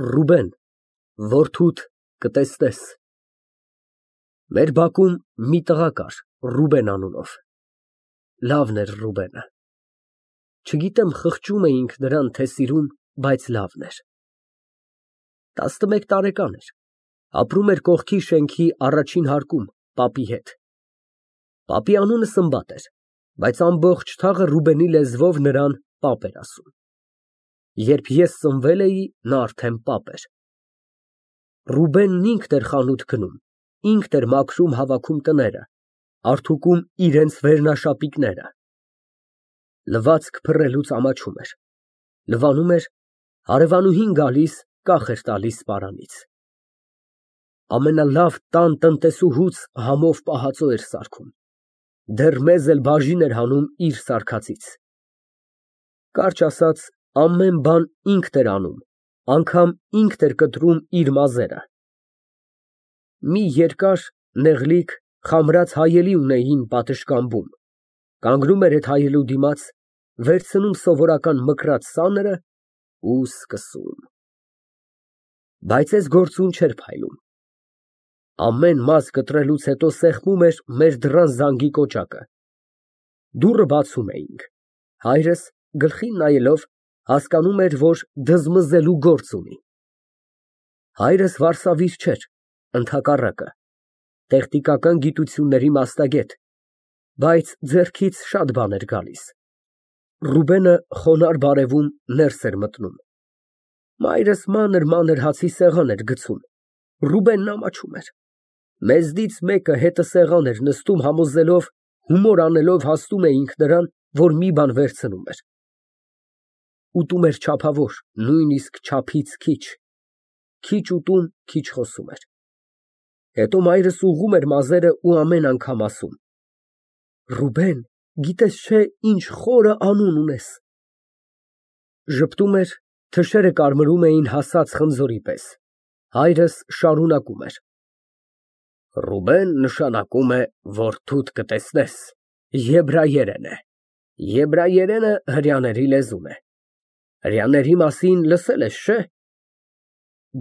Ռուբեն, որդուդ կտեսնես։ Մեր բակում մի տղա կար Ռուբեն անունով, լավն էր Ռուբենը, չգիտեմ խղճում էինք նրան, թե սիրում, բայց լավն էր։ 11 տարեկան էր, ապրում էր կողքի շենքի առաջին հարկում պապի հետ։ Պապի անունը Սմբատ էր, բայց ամբողջ թաղը Ռուբենի լեզվով նրան պապ էր ասում։ Երբ ես ծնվել էի, նա արդեն պապ էր։ Ռուբենն ինքն էր խանութ գնում, ինքն էր մաքրում հավաքում տները, արդուկում իրենց վերնաշապիկները։ Լվացք փռելուց ամաչում էր, լվանում էր, հարևանուհին գալիս կախ էր տալիս սպարանից։ Ամենալավ տան տնտեսուհուց համով պահածո էր սարքում, դեռ մեզ էլ բաժին էր հանում իր սարքածից։ Կարճ ասած, ամեն բան ինքն էր անում, անգամ ինքն էր կտրում իր մազերը։ Մի երկար, նեղլիկ, խամրած հայելի ունեին պատշգամբում, կանգնում էր այդ հայելու դիմաց, վերցնում սովորական մկրատ սաները ու սկսում։ Բայց այս գործուն չէր փայլում։ Ամեն մազ կտրելուց հետո սեղմում էր մեր դռան զանգի կոճակը։ Դուռը բացում էինք, հայրս գլխին նայելով հասկանում էր, որ դզմզելու գործ ունի։ Հայրս վարսավիր չէր, ընդհակառակը, տեխնիկական գիտությունների մասնագետ, բայց ձեռքից շատ բան էր գալիս։ Ռուբենը խոնարհ բարևում ներս էր մտնում։ Մայրս մանր հացի սեղան էր գցում, Ռուբենն ամաչում էր։ Մեզնից մեկը հետը սեղան էր նստում համոզելով, հումոր անելով հասնում էինք նրան, որ մի բան վերցնում էր։ Ուտում էր չափավոր, նույնիսկ չափից քիչ ուտում, քիչ խոսում էր։ Հետո մայրս ուղղում էր մազերը ու ամեն անգամ ասում. Ռուբեն, գիտես չէ, ինչ խորը անուն ունես։ Ժպտում էր, թշերը կարմրում էին հասած խնձորի պես։ Հայրս շարունակում էր. Ռուբեն նշանակում է որդուդ կտեսնես, եբրայերեն է։ Եբրայերենը հրեաների լեզուն է։ Հրեաների մասին լսել ես, չէ՞։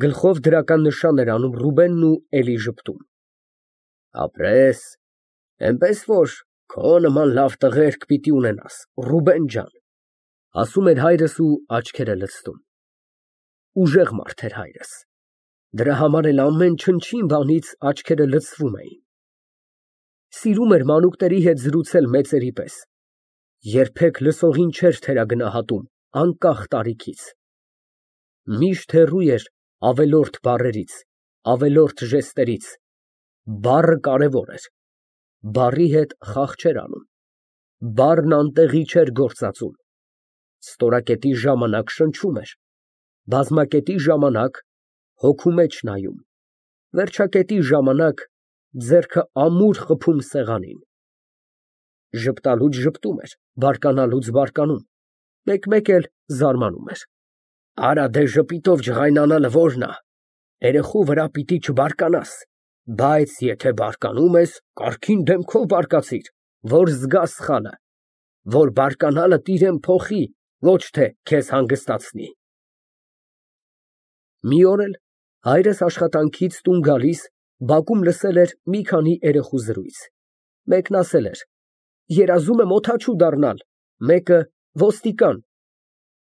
Գլխով դրական նշան էր անում Ռուբենն ու էլի ժպտում։ Ապրես, էնպես որ քո նման լավ տղերք պիտի ունենաս, Ռուբեն ջան, ասում էր հայրս ու աչքերը լցնում։ Ուժեղ մարդ էր հայրս։ Դրա համար էլ ամեն չնչին բանից աչքերը լցվում էին։ Սիրում էր մանուկների հետ զրուցել մեծերի պես։ Երբեք լսողին չէր թերագնահատում, անկախ տարիքից։ Միշտ հեռու էր ավելորդ բառերից, ավելորդ ժեստերից։ Բառը կարևոր էր։ Բառի հետ խաղ չէր անում։ Բառն անտեղի չէր գործածում։ Ստորակետի ժամանակ շնչում էր, բազմակետի ժամանակ հոգու մեջ նայում, վերջակետի ժամանակ ձեռքը ամուր խփում սեղանին։ Ժպտալուց ժպտում էր, բարկանալուց բարկանում, մեկ-մեկ էլ զարմանում էր։ Արա դե ժպիտով ջղայնանալը որն ա, երեխու վրա պիտի չբարկանաս, բայց եթե բարկանում ես, կարգին դեմքով բարկացիր, որ զգաս սխալը, որ բարկանալդ իրան փոխի, ոչ թե քեզ հանգստացնի։ Մի օր էլ հայրս աշխատանքից տուն գալիս բակում լսել էր մի քանի երեխու զրույց։ Մեկն ասել էր. երազում եմ օդաչու դառնալ, մեկը ոստիկան։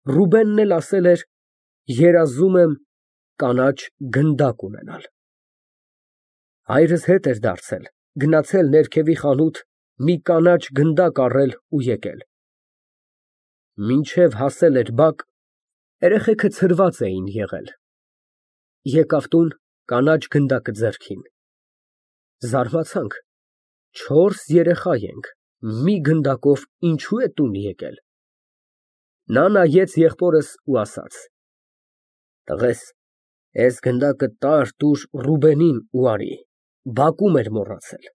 Ռուբենն էլ ասել էր. երազում եմ կանաչ գնդակ ունենալ։ Հայրս հետ էր դարձել, գնացել ներքևի խանութ, մի կանաչ գնդակ առել ու եկել։ Մինչև հասել էր բակ, երեխեքը ցրված էին եղել։ Եկավ տուն, կանաչ գնդակը ձեռքին։ Զարմացանք, 4 երեխա ենք, մի գնդակով ինչու է տուն եկել։ Նա նայեց եղբորս ու ասաց. տղես, ես գնդակը տուր Ռուբենին ու արի, բակում էր մոռացել։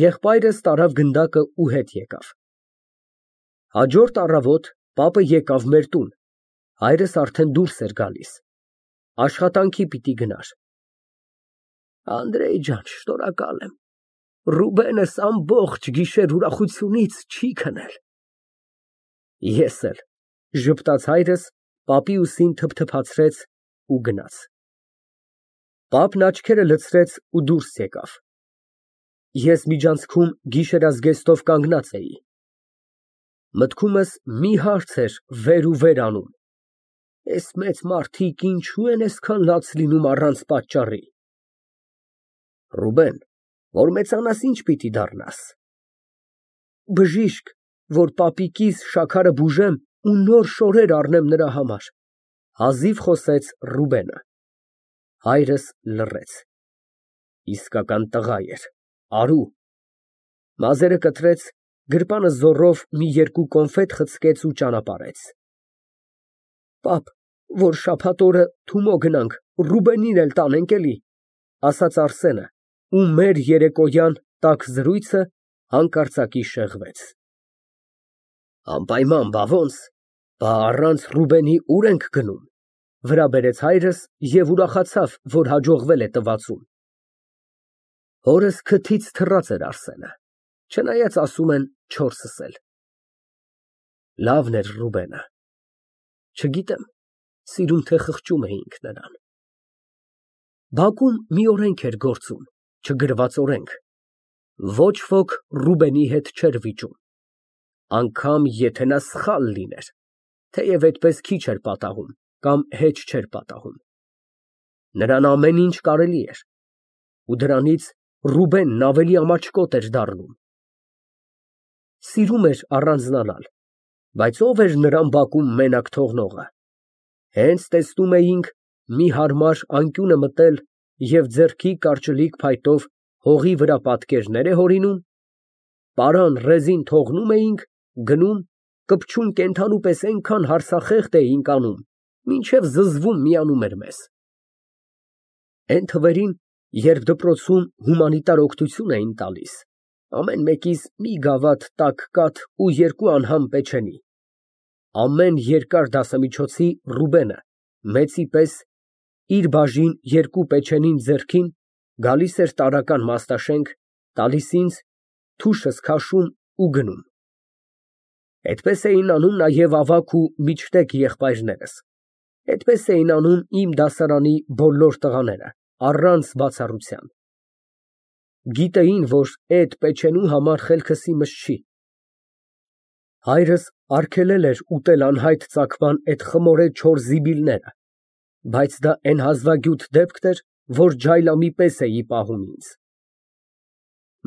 Եղբայրս տարավ գնդակը ու հետ եկավ։ Հաջորդ առավոտ պապը եկավ մեր տուն, հայրս արդեն դուրս էր գալիս, աշխատանքի պիտի գնար։ Անդրեյ ջան, շնորհակալ եմ, Ռուբենս ամբողջ գիշեր ուրախությունից չի քնել։ Ես էլ, ժպտաց հայրս, պապի ուսին թփթփացրեց ու գնաց։ Պապն աչքերը լցրեց ու դուրս եկավ։ Ես միջանցքում գիշերազգեստով կանգնած էի։ Մտքումս մի հարց էր վեր ու վեր անում. «Էս մեծ մարդիկ ինչու են այսքան լաց լինում առանց պատճառի»։ Ռուբեն, որ մեծանաս, ինչ պիտի դառնաս։ Բժիշկ, որ պապիկիս շաքարը բուժեմ ու նոր շորեր առնեմ նրա համար, հազիվ խոսեց Ռուբենը։ Հայրս լռեց։ Իսկական տղա էր, արու։ Մազերը կտրեց, գրպանը զոռով մի երկու կոնֆետ խցկեց ու ճանապարհեց։ Պապ, որ շաբաթ օրը Թումո գնանք, Ռուբենին էլ տանենք էլի, ասաց Արսենը, ու մեր երեկոյան տաք զրույցը հանկարծակի շեղվեց։ Անպայման, բա ոնց, բա առանց Ռուբենի ուր ենք գնում, վրա բերեց հայրս և ուրախացավ, որ հաջողվել է տվացում։ Հորս քթից թռած էր Արսենը, չնայած ասում են 4-ս էլ։ Լավն էր Ռուբենը։ Չգիտեմ, սիրում թե խղճում էինք նրան։ Բակում մի օրենք էր գործում, չգրված օրենք։ Ոչ ոք Ռուբենի հետ չէր վիճում, անգամ եթե նա սխալ լիներ, թեև այդպես քիչ էր պատահում կամ հեչ չէր պատահում։ Նրան ամեն ինչ կարելի էր, ու դրանից Ռուբենն ավելի ամաչկոտ էր դառնում։ Սիրում էր առանձնանալ, բայց ով էր նրան բակում մենակ թողնողը։ Հենց տեսնում էինք մի հարմար անկյունը մտել և ձեռքի կարճլիկ փայտով հողի վրա պատկերներ է հորինում, պարան ռեզին թողնում էինք, գնում, կպչուն կենդանու պես այնքան հարցախեղդ էինք անում, մինչև զզվում միանում էր մեզ։ Էն թվերին, երբ դպրոցում հումանիտար օգնություն էին տալիս, ամեն մեկիս մի գավաթ տաք կաթ ու 2 անհամ պեչենի, ամեն երկար դասամիջոցի Ռուբենը, մեծի պես, իր բաժին 2 պեչենին ձեռքին, գալիս էր տարրական մաստաշենք, տալիս ինձ, թուշս քաշում ու գնում։ Այդպես էին անում նաև ավագ ու միջտեկ եղբայրներս, այդպես էին անում իմ դասարանի բոլոր տղաները, առանց բացառության։ Գիտեին, որ այդ պեչենու համար խելքս իմս չի։ Հայրս արգելել էր ուտել անհայտ ծագման այդ խմորե չոր զիբիլները, բայց դա էն հազվագյուտ դեպքն էր, որ ջայլամի պես էի պահում ինձ։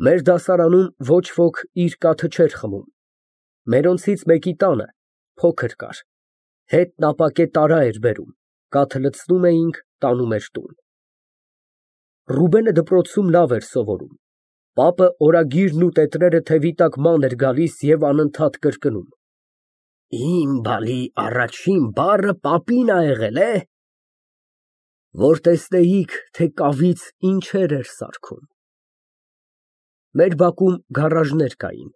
Մեր դասարանում ոչ ոք իր կաթը չէր խմում։ Մերոնցից մեկի տանը փոքր կար, հետն ապակե տարա էր բերում, կաթը լցնում էինք, տանում էր տուն։ Ռուբենը դպրոցում լավ էր սովորում, պապը օրագիրն ու տետրերը թևի տակ ման էր գալիս և անընդհատ կրկնում. Իմ բալի առաջին բառը պապին ա եղել, է։ Որ տեսնեիք, թե կավից ինչեր էր սարքում։ Մեր բակում գարաժներ կային,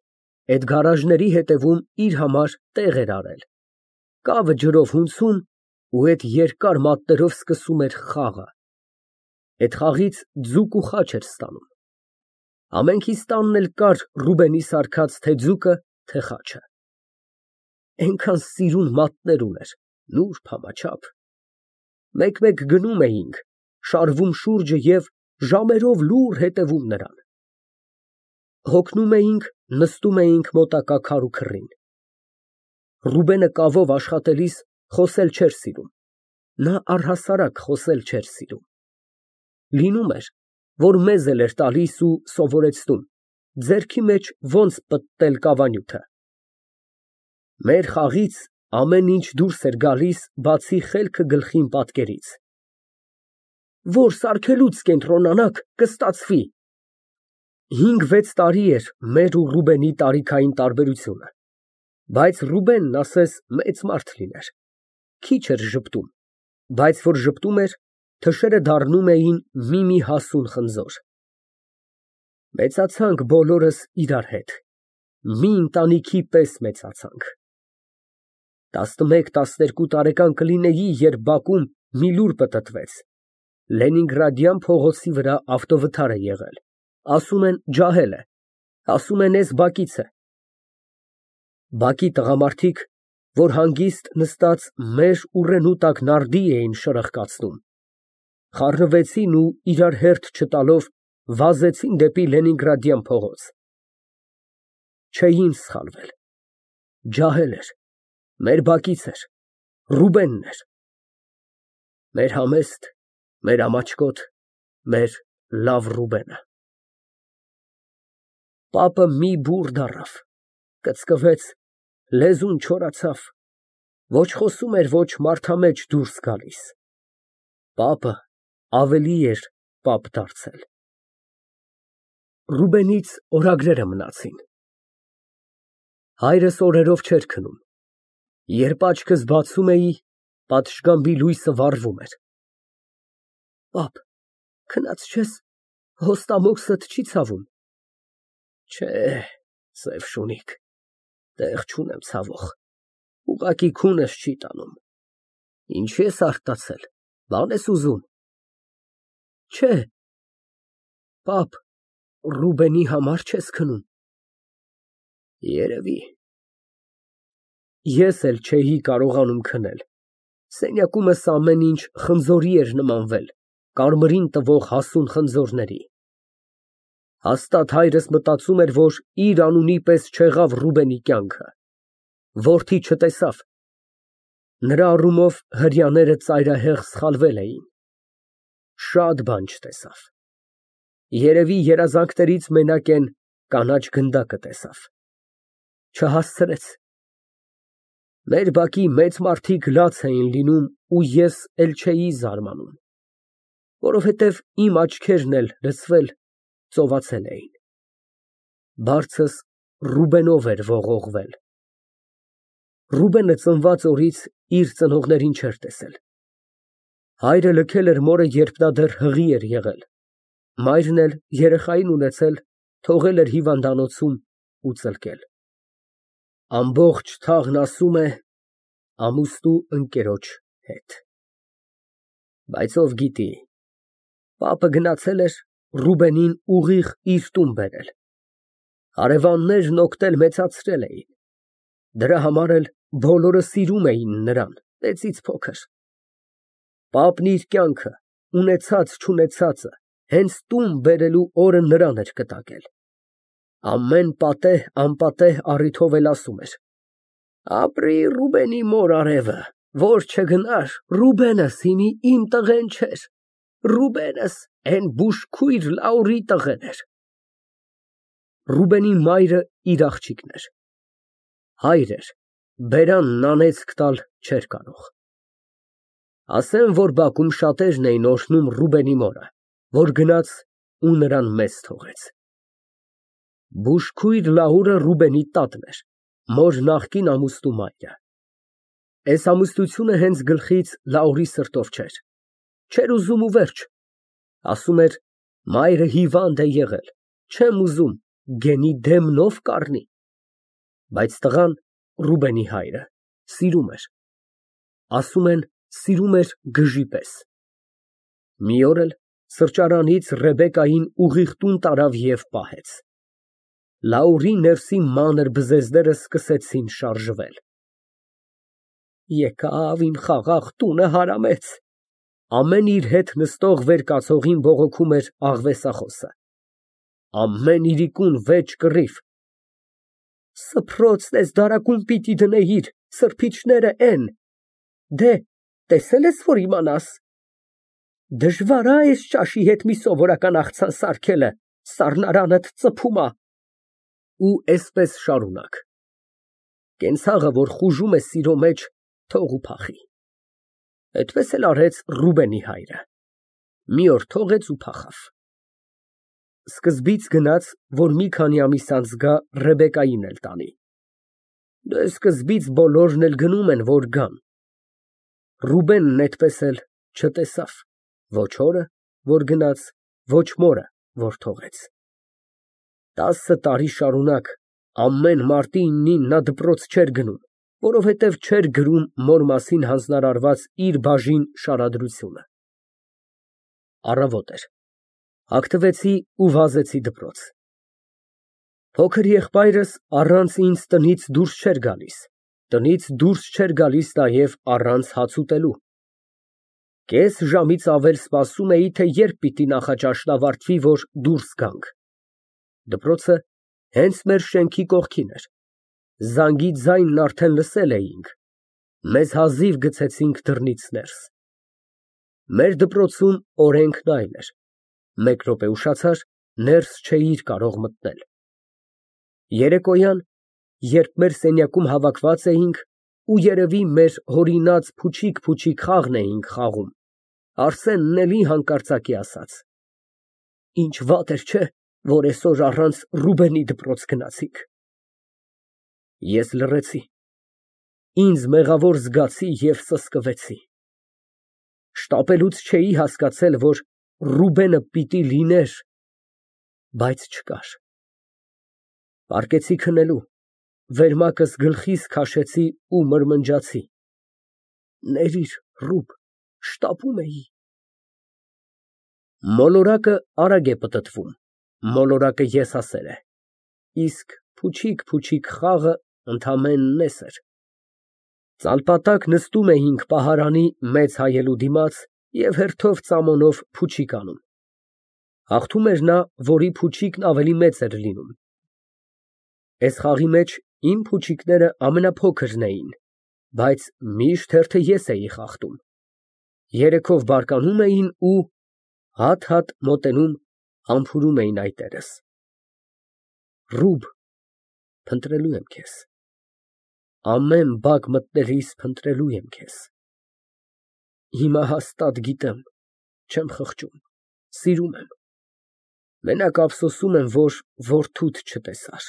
այդ գարաժների հետևում իր համար տեղ էր արել, կավը ջրով հունցում ու այդ երկար մատներով սկսում էր խաղը, այդ խաղից ձուկ ու խաչ էր ստանում։ Ամենքիս տանն էլ կար Ռուբենի սարքած թե ձուկը, թե խաչը։ Այնքան սիրուն մատներ ուներ, նուրբ համաչափ։ Մեկ-մեկ գնում էինք, շարվում շուրջը և ժամերով լուռ հետևում նրան։ Հոգնում էինք, նստում էինք մոտակա քարու քռին։ Ռուբենը կավով աշխատելիս խոսել չէր սիրում, նա առհասարակ խոսել չէր սիրում։ Լինում էր, որ մեզ էլ էր տալիս ու սովորեցնում, ձեռքի մեջ ոնց պտտել կավանյութը։ Մեր խաղից ամեն ինչ դուրս էր գալիս, բացի խելքը գլխին պատկերից։ Որ սարքելուց կենտրոնանաք, կստացվի։ 5-6 տարի էր մեր ու Ռուբենի տարիքային տարբերությունը, բայց Ռուբենն ասես մեծ մարդ լիներ, քիչ էր ժպտում, բայց որ ժպտում էր, թշերը դառնում էին մի հասուն խնձոր։ Մեծացանք բոլորս իրար հետ, մի ընտանիքի պես մեծացանք։ 11-12 տարեկան կլինեի, երբ բակում մի լուր պտտվեց, Լենինգրադյան փողոցի վրա ավտովթար է եղել, ասում են ջահել է, ասում են էս բակից է։ Բակի տղամարդիկ որ հանգիստ նստած մեր ուռենու տակ նարդի էին շրխկացնում, խառնվեցին ու իրար հերթ չտալով վազեցին դեպի Լենինգրադյան փողոց։ Չէին սխալվել, ջահել էր, մեր բակից էր, Ռուբենն էր, մեր համեստ, մեր ամաչկոտ, մեր լավ Ռուբենը։ Պապը մի բուռ դառավ, կծկվեց, լեզուն չորացավ, ոչ խոսում էր, ոչ մարդամեջ դուրս գալիս։ Պապը ավելի էր պապ դարձել։ Ռուբենից օրագրերը մնացին։ Հայրս օրերով չէր քնում։ Երբ աչքս բացում էի, պատշգամբի լույսը վառվում էր։ Պապ, քնած չես, հոստամոքսդ չի ցավում։ Չէ, սև շունիկ, տեղ չունեմ ցավող, ուղղակի քունս չի տանում։ Ինչի ես արտացել, բան ես ուզում։ Չէ, պապ, Ռուբենի համար չես քնում։ Երևի։ Ես էլ չէի կարողանում քնել։ Սենյակումս ամեն ինչ խնձորի էր նմանվել, կարմրին տվող հասուն խնձորների։ Հաստատ հայրս մտածում էր, որ իր անունի պես չեղավ Ռուբենի կյանքը, որդի չտեսավ։ Նրա առումով հրեաները ծայրահեղ սխալվել էին։ Շատ բան չտեսավ։ Երևի երազանքներից մենակ են կանաչ գնդակը տեսավ։ Չհասցրեց։ Մեր բակի մեծ մարդիկ լաց էին լինում ու ես էլ չէի զարմանում, որովհետև իմ աչքերն էլ լցվել, ծովացել էին։ Բարձս Ռուբենով էր ողողվել։ Ռուբենը ծնված օրից իր ծնողներին չէր տեսել։ Հայրը լքել էր մորը, երբ նա դեռ հղի էր եղել։ Մայրն էլ երեխային ունեցել, թողել էր հիվանդանոցում ու ծլկել։ Ամբողջ թաղն ասում է ամուսնու ընկերոջ հետ։ Բայց ով գիտի, պապը գնացել էր Ռուբենին ուղիղ իր տուն բերել։ Հարևաններն օգնել մեծացրել էին։ Դրա համար էլ բոլորը սիրում էին նրան, մեծից փոքր։ Պապն իր կյանքը, ունեցած-չունեցածը, հենց տուն բերելու օրը նրան էր կտակել։ Ամեն պատեհ, անպատեհ առիթով էլ ասում էր. ապրի Ռուբենի մոր արևը, որ չգնար, Ռուբենս հիմի իմ տղեն չէր, Ռուբենս էն բուժքույր Լաուրի տղեն էր։ Ռուբենի մայրը իր աղջիկն էր։ Հայր էր, բերանն անեծք տալ չէր կարող։ Ասեմ, որ բակում շատերն էին օրհնում Ռուբենի մորը, որ գնաց ու նրան մեզ թողեց։ Բուժքույր Լաուրը Ռուբենի տատն էր, մոր նախկին ամուսնու մայրը։ Այս ամուսնությունը հենց գլխից Լաուրի սրտով չէր։ Չէր ուզում ու վերջ։ Ասում էր, մայրը հիվանդ է եղել, չեմ ուզում, գենի դեմնով կառնի։ Բայց տղան, Ռուբենի հայրը, սիրում էր։ Ասում են, սիրում էր գժի պես։ Մի օր էլ սրճարանից Ռեբեկային ուղիղ տուն տարավ և պահեց։ Լաուրի ներսի մանր բզեզները սկսեցին շարժվել։ Եկավ իմ խաղաղ տունը հարամեց։ Ամեն իր հետ նստող վեր կացողին բողոքում էր աղվեսախոսը։ Ամեն իրիկուն վեճ կռիվ։ Սփռոցն ես դարակում պիտի դնեիր, սրբիչները էն։ Դե, տեսել ես, որ իմանաս։ Դժվար ա այս ճաշի հետ մի սովորական աղցան սարքելը, սառնարանդ ծփում ա։ Ու էսպես շարունակ։ Կենցաղը, որ խուժում է սիրո մեջ, թող ու փախի։ Այդպես էլ արեց Ռուբենի հայրը։ Մի օր թողեց ու փախավ։ Սկզբից գնաց, որ մի քանի ամիս անց գա Ռեբեկային էլ տանի։ Դե սկզբից բոլորն էլ գնում են, որ գան։ Ռուբենն այդպես էլ չտեսավ ոչ օրը, որ գնաց, ոչ մորը, որ թողեց։ 10 տարի շարունակ ամեն մարտի 9-ին նա դպրոց չէր գնում, որովհետև չէր գրում մոր մասին հանձնարարված իր բաժին շարադրությունը։ Առավոտ էր։ Հագնվեցի ու վազեցի դպրոց։ Փոքր եղբայրս առանց ինձ տնից դուրս չէր գալիս, Տնից դուրս չէր գալիս նաև առանց հաց ուտելու։ Կես ժամից ավել սպասում էի, թե երբ պիտի նախաճաշն ավարտվի, որ դուրս գանք։ Դպրոցը հենց մեր շենքի կողքին էր։ Զանգի ձայնն արդեն լսել էինք, մեզ հազիվ գցեցինք դռնից ներս։ Մեր դպրոցում օրենքն այլ էր. մեկ րոպե ուշացար, ներս չէիր կարող մտնել։ Երեկոյան, երբ մեր սենյակում հավաքված էինք ու երևի մեր հորինած փուչիկ խաղն էինք խաղում, Արսենն էլի հանկարծակի ասաց. «Ինչ վատ էր, չէ՞, որ այսօր առանց Ռուբենի դպրոց գնացինք»։ Ես լռեցի, ինձ մեղավոր զգացի և սսկվեցի։ Շտապելուց չէի հասկացել, որ Ռուբենը պիտի լիներ, բայց չկար։ Պառկեցի քնելու, վերմակս գլխիս քաշեցի ու մրմնջացի. «Ներիր, Ռուբ, շտապում էի»։ Մոլորակը արագ է պտտվում, մոլորակը եսասեր է, իսկ փուչիկ խաղը ընդամենն նես էր։ Ծալպատակ նստում էինք պահարանի մեծ հայելու դիմաց և հերթով ծամոնով փուչիկ անում։ Հաղթում էր նա, որի փուչիկն ավելի մեծ էր լինում։ Այս խաղի մեջ իմ փուչիկները ամենափոքրն էին, բայց միշտ հերթը ես էի խախտում։ Երեքով բարկանում էին ու հատ մոտենում, համբուրում էին այտերս։ Ռուբ, փնտրելու եմ քեզ, ամեն բակ մտնելիս փնտրելու եմ քեզ։ Հիմա հաստատ գիտեմ, չեմ խղճում, սիրում եմ, մենակ ափսոսում եմ, որ որդուդ չտեսար։